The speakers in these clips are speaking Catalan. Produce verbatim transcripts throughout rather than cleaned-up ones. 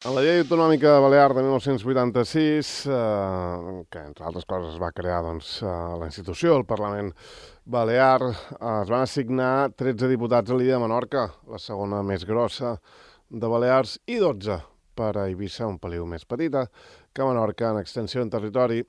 En la llei autonòmica balear de mil nou-cents vuitanta-sis, eh, que entre altres coses es va crear doncs, eh, la institució, el Parlament Balear, eh, es van assignar tretze diputats a l'illa de Menorca, la segona més grossa de Balears, i dotze per a Eivissa, un peliu més petita que Menorca en extensió en territori.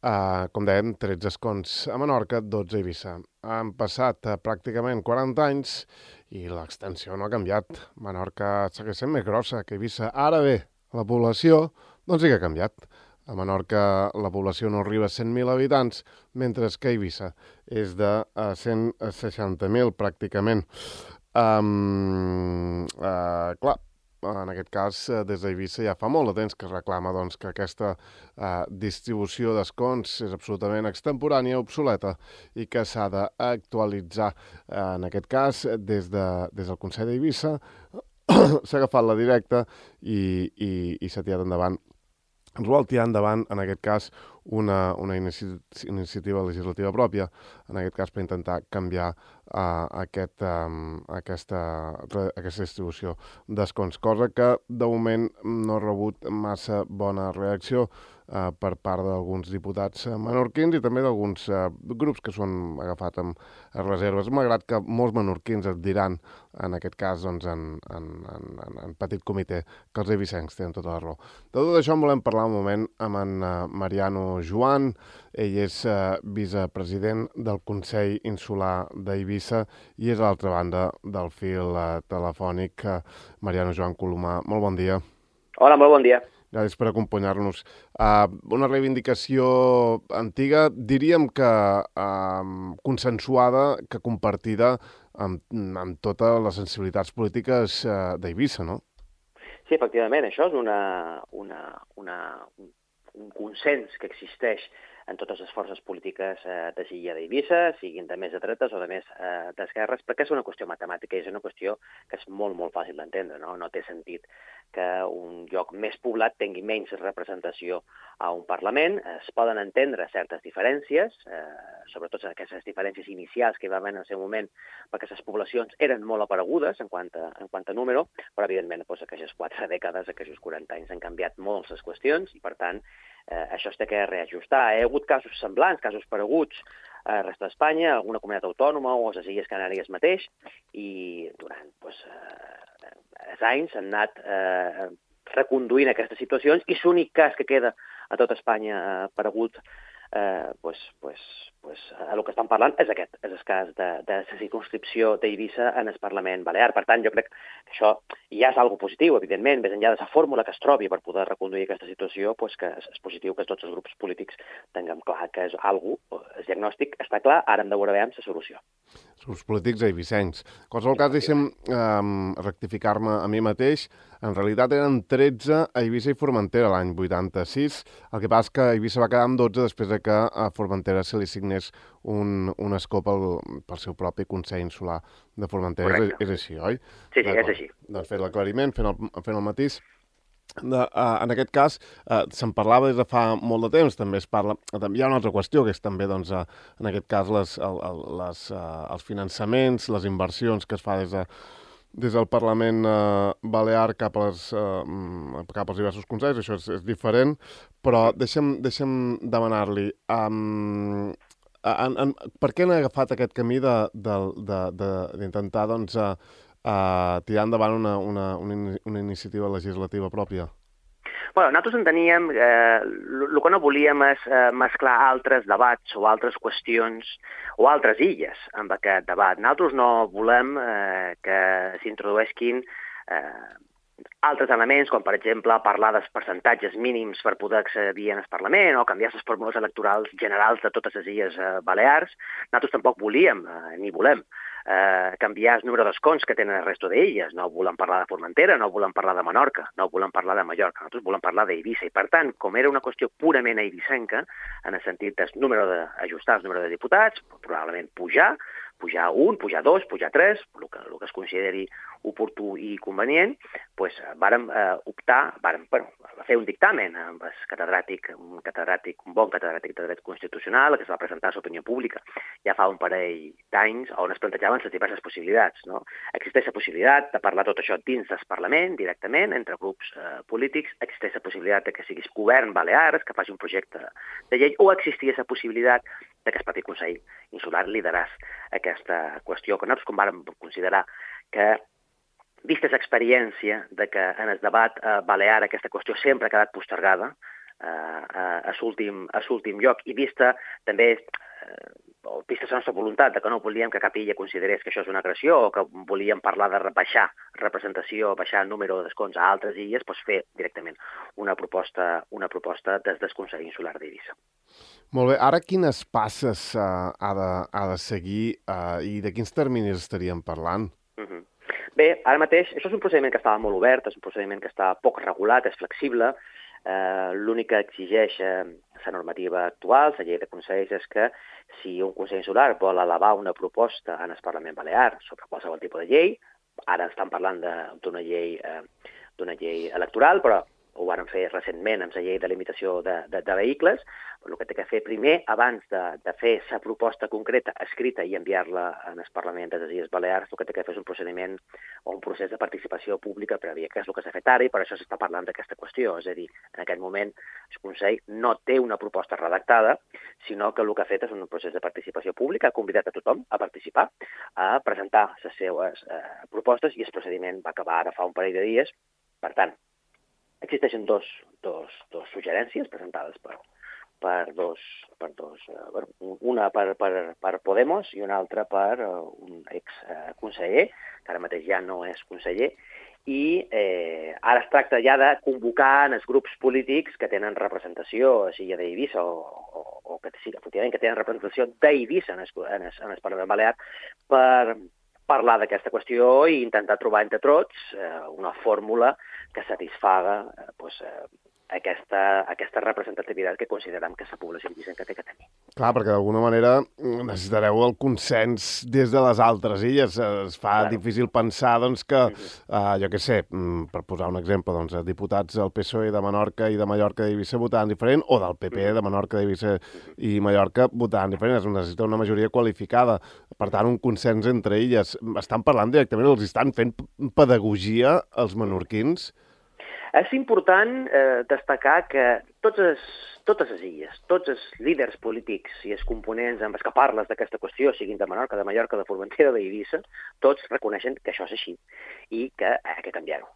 Uh, com dèiem, tretze escons a Menorca, dotze a Eivissa. Han passat uh, pràcticament quaranta anys i l'extensió no ha canviat. Menorca segueix sent més grossa que Eivissa. Ara bé, la població doncs sí que ha canviat. A Menorca la població no arriba a cent mil habitants, mentre que a Eivissa és de uh, cent seixanta mil pràcticament. Um, uh, clar, en aquest cas, des d'Eivissa ja fa molt de temps que es reclama doncs, que aquesta eh, distribució d'escons és absolutament extemporània, obsoleta, i que s'ha d'actualitzar. Eh, en aquest cas, des, de, des del Consell d'Eivissa s'ha agafat la directa i, i, i s'ha tirat endavant. Ens vol tirar endavant, en aquest cas, una, una inici iniciativa legislativa pròpia, en aquest cas per intentar canviar uh, aquest, um, aquesta, aquesta distribució d'escons, cosa que de moment no ha rebut massa bona reacció uh, per part d'alguns diputats menorquins i també d'alguns uh, grups que s'han agafat amb reserves, malgrat que molts menorquins et diran, en aquest cas, doncs, en, en, en, en petit comitè, que els eivissencs tenen tota la raó. De tot això en volem parlar un moment amb en uh, Mariano Joan. Ell és uh, vicepresident del Consell Insular d'Eivissa i és a l'altra banda del fil uh, telefònic. Uh, Mariano Joan Colomà, molt bon dia. Hola, molt bon dia. Gràcies per acompanyar-nos. Uh, una reivindicació antiga, diríem que uh, consensuada, que compartida amb, amb totes les sensibilitats polítiques uh, d'Eivissa, no? Sí, efectivament, això és una, una, una, un consens que existeix en totes les forces polítiques eh, de l'illa d'Eivissa, siguin de més de dretes o de més eh, d'esquerres, perquè és una qüestió matemàtica i és una qüestió que és molt, molt fàcil d'entendre, no? No té sentit que un lloc més poblat tingui menys representació a un Parlament. Es poden entendre certes diferències, eh, sobretot aquestes diferències inicials que hi va haver en el seu moment, perquè les poblacions eren molt aparegudes en quant a, en quant a número, però evidentment doncs, aquestes quatre dècades, aquests quaranta anys han canviat molt les qüestions i per tant eh, això es té que reajustar. Hi ha hagut casos semblants, casos pareguts a la resta d'Espanya, alguna comunitat autònoma o a les Illes Canàries mateix, i durant doncs, eh, els anys han anat eh, reconduint aquestes situacions i l'únic cas que queda a tot Espanya eh, paregut eh, pues, pues, pues, el que estan parlant és aquest, és el cas de, de la circunscripció d'Eivissa en el Parlament Balear. Per tant, jo crec que això ja és algo positiu, evidentment, més enllà de la fórmula que es trobi per poder reconduir aquesta situació, pues que és positiu que tots els grups polítics tinguem clar que és algo, el diagnòstic està clar, ara hem de veure la solució. Els grups polítics eivissencs. En qualsevol cas, deixem eh, rectificar-me a mi mateix. En realitat eren tretze a Eivissa i Formentera l'any vuitanta-sis. El que passa és que Eivissa va quedar amb dotze després de que a Formentera se li signés un, un escó pel, pel seu propi Consell Insular de Formentera. És, és així, oi? Sí, sí, és així. Doncs fet l'aclariment, fent el, fent el matís. De, uh, en aquest cas, uh, se'n parlava des de fa molt de temps, també es parla... Hi ha una altra qüestió, que és també, doncs, uh, en aquest cas, les, el, el, les, uh, els finançaments, les inversions que es fa des, de, des del Parlament uh, Balear cap, a les, uh, cap als diversos consells, això és, és diferent, però deixa'm, deixa'm demanar-li... Um, en, en, per què han agafat aquest camí d'intentar, doncs, uh, Uh, tirar endavant una, una, una, una iniciativa legislativa pròpia? Bueno, nosaltres enteníem que eh, el que no volíem és eh, mesclar altres debats o altres qüestions o altres illes amb aquest debat. Nosaltres no volem eh, que s'introdueixin eh, altres elements, com per exemple parlar dels percentatges mínims per poder accedir al Parlament o canviar les fórmules electorals generals de totes les illes eh, balears. Nosaltres tampoc volíem, eh, ni volem, Eh, canviar el número d'escons que tenen el resto d'illes. No volem parlar de Formentera, no volem parlar de Menorca, no volem parlar de Mallorca, nosaltres volem parlar d'Eivissa. I per tant, com era una qüestió purament eivissenca, en el sentit del número d'ajustar el número de diputats, probablement pujar, pujar un, pujar dos, pujar tres, el que, el que es consideri oportú i convenient, doncs, vàrem eh, optar, vàrem bueno, fer un dictamen amb el catedràtic, un catedràtic, un bon catedràtic de dret constitucional, que es va presentar a l'opinió pública ja fa un parell d'anys, on es plantejaven les diverses possibilitats. No? Existeix la possibilitat de parlar tot això dins del Parlament, directament, entre grups eh, polítics, existeix la possibilitat de que siguis govern balears, que faci un projecte de llei, o existia la possibilitat de que el propi Consell Insular lideràs aquesta qüestió, que nosaltres com vàrem considerar que, vista l'experiència de que en el debat eh, balear aquesta qüestió sempre ha quedat postergada eh, a, a l'últim lloc, i vista també eh, o vista la nostra voluntat de que no volíem que cap illa considerés que això és una agressió o que volíem parlar de baixar representació, baixar el número d'escons a altres illes, doncs fer directament una proposta, una proposta des del Consell Insular d'Eivissa. Molt bé. Ara quines passes uh, ha, de, ha de seguir uh, i de quins terminis estaríem parlant? Uh -huh. Bé, ara mateix, això és un procediment que estava molt obert, és un procediment que està poc regulat, és flexible. Eh, L'únic que exigeix eh, la normativa actual, la llei de consells, és que si un consell insular vol elevar una proposta en el Parlament Balear sobre qualsevol tipus de llei, ara estan parlant d'una llei, eh, d'una llei electoral, però ho varen fer recentment amb la llei de limitació de, de, de vehicles, el que té que fer primer, abans de, de fer la proposta concreta escrita i enviar-la en el Parlament de les Illes Balears, el que té que fer és un procediment o un procés de participació pública prèvia, que és el que s'ha fet ara, i per això s'està parlant d'aquesta qüestió. És a dir, en aquest moment el Consell no té una proposta redactada, sinó que el que ha fet és un procés de participació pública, ha convidat a tothom a participar, a presentar les seues eh, propostes, i el procediment va acabar ara fa un parell de dies. Per tant, existeixen dos, dos, dos suggerències presentades per, per dos, per dos uh, una per, per, per Podemos i una altra per uh, un exconseller, que ara mateix ja no és conseller, i eh, ara es tracta ja de convocar en els grups polítics que tenen representació a l'illa d'Eivissa o, o, o que sí, efectivament, que tenen representació d'Eivissa en el, en el, en el Parlament Balear per parlar d'aquesta qüestió i intentar trobar entre tots eh, una fórmula que satisfaga eh, pues, eh, aquesta, aquesta representativitat que considerem que la població indígena que té que tenir. Clar, perquè d'alguna manera necessitareu el consens des de les altres illes. Es fa claro. difícil pensar doncs, que, uh, jo què sé, per posar un exemple, doncs, diputats del P S O E de Menorca i de Mallorca d'Eivissa votaran diferent, o del P P de Menorca d'Eivissa i Mallorca votaran diferent. Es necessita una majoria qualificada. Per tant, un consens entre illes. Estan parlant directament, els estan fent pedagogia als menorquins? És important eh, destacar que totes, totes les illes, tots els líders polítics i els components amb els que parles d'aquesta qüestió, siguin de Menorca, de Mallorca, de Formentera, d'Eivissa, tots reconeixen que això és així i que ha de canviar-ho.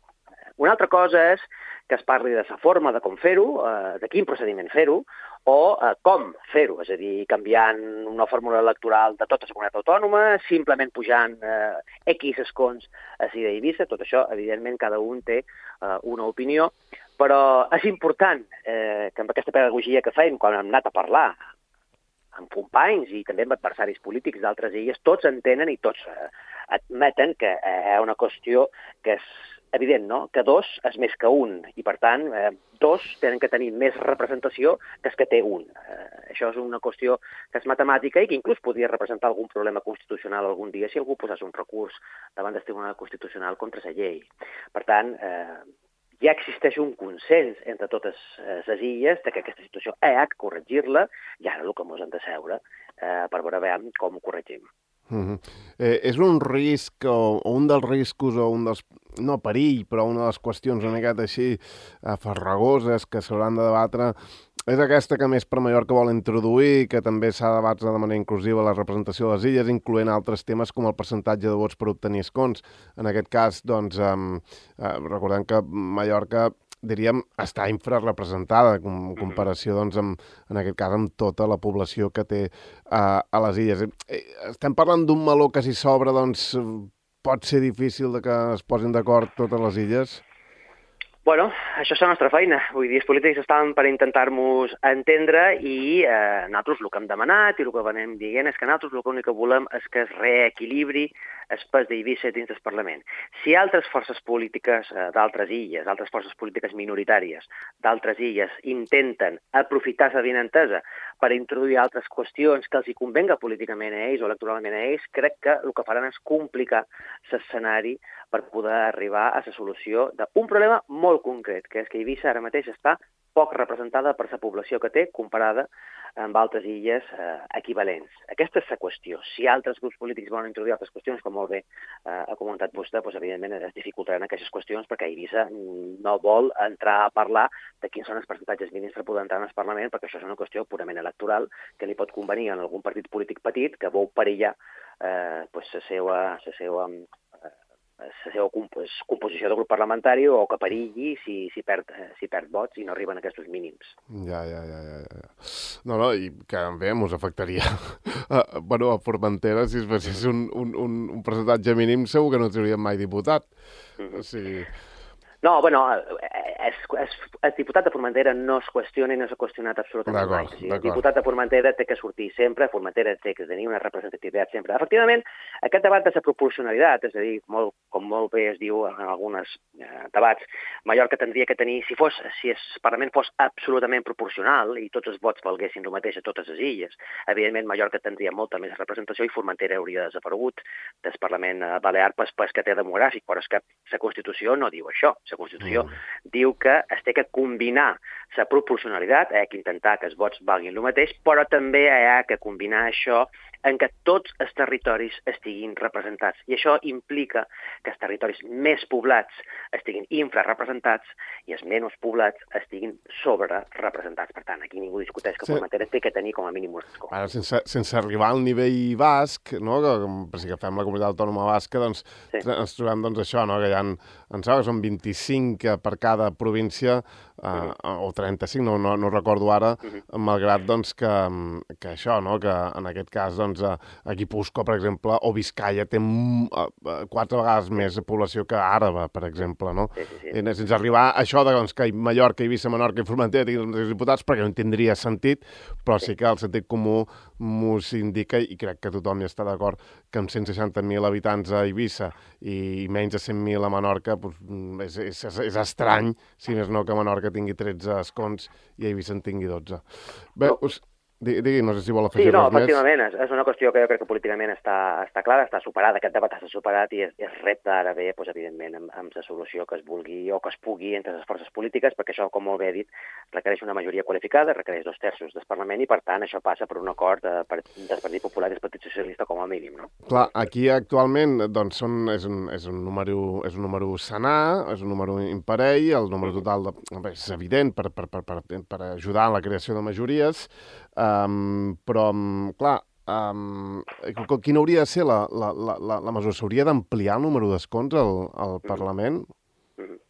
Una altra cosa és que es parli de la forma de com fer-ho, eh, de quin procediment fer-ho, o eh, com fer-ho, és a dir, canviant una fórmula electoral de tota la comunitat autònoma, simplement pujant eh, X escons a l'illa d'Eivissa. Tot això, evidentment, cada un té eh, una opinió, però és important eh, que amb aquesta pedagogia que fem, quan hem anat a parlar amb companys i també amb adversaris polítics d'altres illes, tots entenen i tots eh, admeten que eh, és una qüestió que és evident, no?, que dos és més que un, i per tant, eh, dos tenen que tenir més representació que els que té un. Eh, això és una qüestió que és matemàtica i que inclús podria representar algun problema constitucional algun dia si algú posés un recurs davant del Tribunal Constitucional contra la llei. Per tant, eh, ja existeix un consens entre totes les illes de que aquesta situació ha de corregir-la, i ara el que ens hem de seure eh, per veure com ho corregim. Uh-huh. eh, és un risc o, o un dels riscos o un dels, no perill, però una de les qüestions una miqueta així eh, farragoses que s'hauran de debatre és aquesta que més per Mallorca vol introduir, que també s'ha de debatre de manera inclusiva la representació de les illes, incloent altres temes com el percentatge de vots per obtenir escons. En aquest cas, doncs, eh, eh, recordem que Mallorca, diríem, està infrarrepresentada en comparació, doncs, amb, en aquest cas, amb tota la població que té uh, a les illes. Estem parlant d'un meló que si s'obre, doncs, pot ser difícil de que es posin d'acord totes les illes? Bueno, això és la nostra feina. Vull dir, els polítics estan per intentar-nos entendre i eh, nosaltres el que hem demanat i el que venim dient és que nosaltres el que, que volem és que es reequilibri el pes d'Eivissa dins del Parlament. Si altres forces polítiques eh, d'altres illes, altres forces polítiques minoritàries d'altres illes intenten aprofitar la vinentesa per introduir altres qüestions que els hi convenga políticament a ells o electoralment a ells, crec que el que faran és complicar l'escenari per poder arribar a la solució d'un problema molt concret, que és que Eivissa ara mateix està poc representada per la població que té comparada amb altres illes eh, equivalents. Aquesta és la qüestió. Si altres grups polítics volen introduir altres qüestions, com molt bé eh, ha comentat vostè, doncs, evidentment es dificultaran aquestes qüestions perquè Eivissa no vol entrar a parlar de quins són els percentatges mínims per poder entrar en el Parlament, perquè això és una qüestió purament electoral que li pot convenir en algun partit polític petit que vol perillar eh, pues, la seva, la seva la seva composició de grup parlamentari o que perilli si, si, perd, si perd vots i no arriben a aquests mínims. Ja, ja, ja, ja, ja. No, no, i que bé, mos afectaria. uh, bueno, a Formentera, si es fes un, un, un, un percentatge mínim, segur que no trauríem mai diputat. Mm-hmm. O sigui... No, bueno, el diputat de Formentera no es qüestiona i no s'ha qüestionat absolutament mai. O sigui, el diputat de Formentera té que sortir sempre, Formentera té que tenir una representativitat sempre. Efectivament, aquest debat de la proporcionalitat, és a dir, molt, com molt bé es diu en alguns eh, debats, Mallorca tindria que tenir, si fos, si el Parlament fos absolutament proporcional i tots els vots valguessin el mateix a totes les illes, evidentment Mallorca tindria molta més representació i Formentera hauria desaparegut del Parlament balear pel pes que té demogràfic, però és que la Constitució no diu això. La Constitució mm. diu que es té que combinar la proporcionalitat, hi ha que intentar que els vots valguin el mateix, però també hi ha que combinar això en què tots els territoris estiguin representats. I això implica que els territoris més poblats estiguin infrarrepresentats i els menys poblats estiguin sobrerepresentats. Per tant, aquí ningú discuteix que sí. Formentera té que tenir com a mínim un escó. Ara, sense, sense arribar al nivell basc, no? Que, per si agafem la comunitat autònoma basca, doncs sí. ens trobem doncs, això, no? Que hi ha, em sembla que són vint-i-cinc per cada província, uh, uh-huh. o trenta-cinc, no, no, no recordo ara, uh-huh. malgrat doncs, que, que això, no? Que en aquest cas, doncs, a Guipúscoa, per exemple, o Vizcaya té quatre vegades més població que Àraba, per exemple, no? Sí, sí, sí. I sense arribar a això de, doncs, que Mallorca, Eivissa, Menorca i Formentera tinguin els diputats, perquè no tindria sentit, però sí, sí que el sentit comú m'ho indica, i crec que tothom hi està d'acord, que amb cent seixanta mil habitants a Eivissa i menys de cent mil a Menorca, doncs, és, és, és estrany, si més no que Menorca tingui tretze escons i Eivissa en tingui dotze. Bé, no. us... Digui, no sé si vol afegir sí, no, res més. Sí, no, efectivament, és, és una qüestió que jo crec que políticament està, està clara, està superada, aquest debat està superat i es, es repta ara bé, doncs, evidentment, amb, amb la solució que es vulgui o que es pugui entre les forces polítiques, perquè això, com molt bé he dit, requereix una majoria qualificada, requereix dos terços del Parlament i, per tant, això passa per un acord de, per, del Partit Popular i del Partit Socialista com a mínim, no? Clar, aquí actualment, doncs, són, és, un, és, un número, és un número senar, és un número imparell, el número total de, és evident per, per, per, per, per ajudar en la creació de majories, Um, però, um, clar, um, quina hauria de ser la, la, la, la mesura? S'hauria d'ampliar el número d'escons al, al Parlament? Mm-hmm.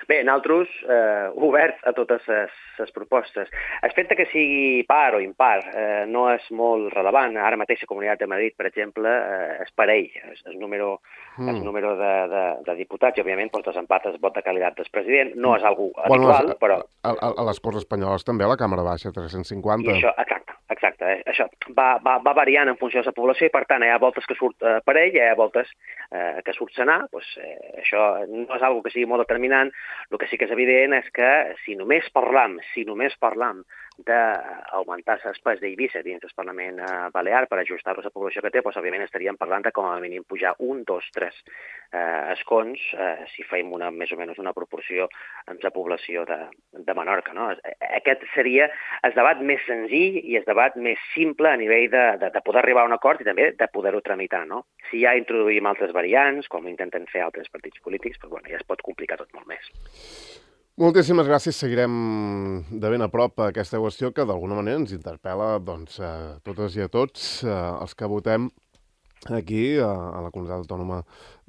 Bé, nosaltres, eh, oberts a totes les propostes. El fet que sigui par o impar eh, no és molt rellevant. Ara mateix la Comunitat de Madrid, per exemple, eh, és parell. El, el número, mm. el número de, de, de diputats i, òbviament, doncs, desempat el vot de qualitat del president. No és algo habitual, bueno, però... A, a, a les Corts Espanyoles també, a la Càmera Baixa, tres-cents cinquanta. I això, exacte, exacte. Eh? Això va, va, va variant en funció de la població i, per tant, hi ha voltes que surt eh, parell, hi ha voltes eh, que surt senar. Doncs, eh, això no és algo que sigui molt determinant. El que sí que és evident és que si només parlam, si només parlam d'augmentar l'espès d'Eivissa dins del Parlament Balear per ajustar-lo a la població que té, doncs, òbviament, estaríem parlant de com a mínim pujar un, dos, tres eh, escons, eh, si fem una, més o menys una proporció amb la població de, de Menorca. No? Aquest seria el debat més senzill i el debat més simple a nivell de, de, de poder arribar a un acord i també de poder-ho tramitar. No? Si ja introduïm altres variants, com intenten fer altres partits polítics, doncs, bueno, ja es pot complicar tot molt més. Moltíssimes gràcies. Seguirem de ben a prop aquesta qüestió que d'alguna manera ens interpel·la doncs, a totes i a tots els que votem aquí a la Comunitat Autònoma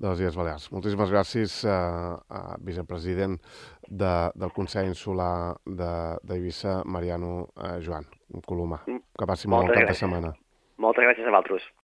de les Illes Balears. Moltíssimes gràcies a vicepresident de, del Consell Insular d'Eivissa, Mariano Joan Colomà. Que passi molt bon cap de setmana. Moltes gràcies a vosaltres.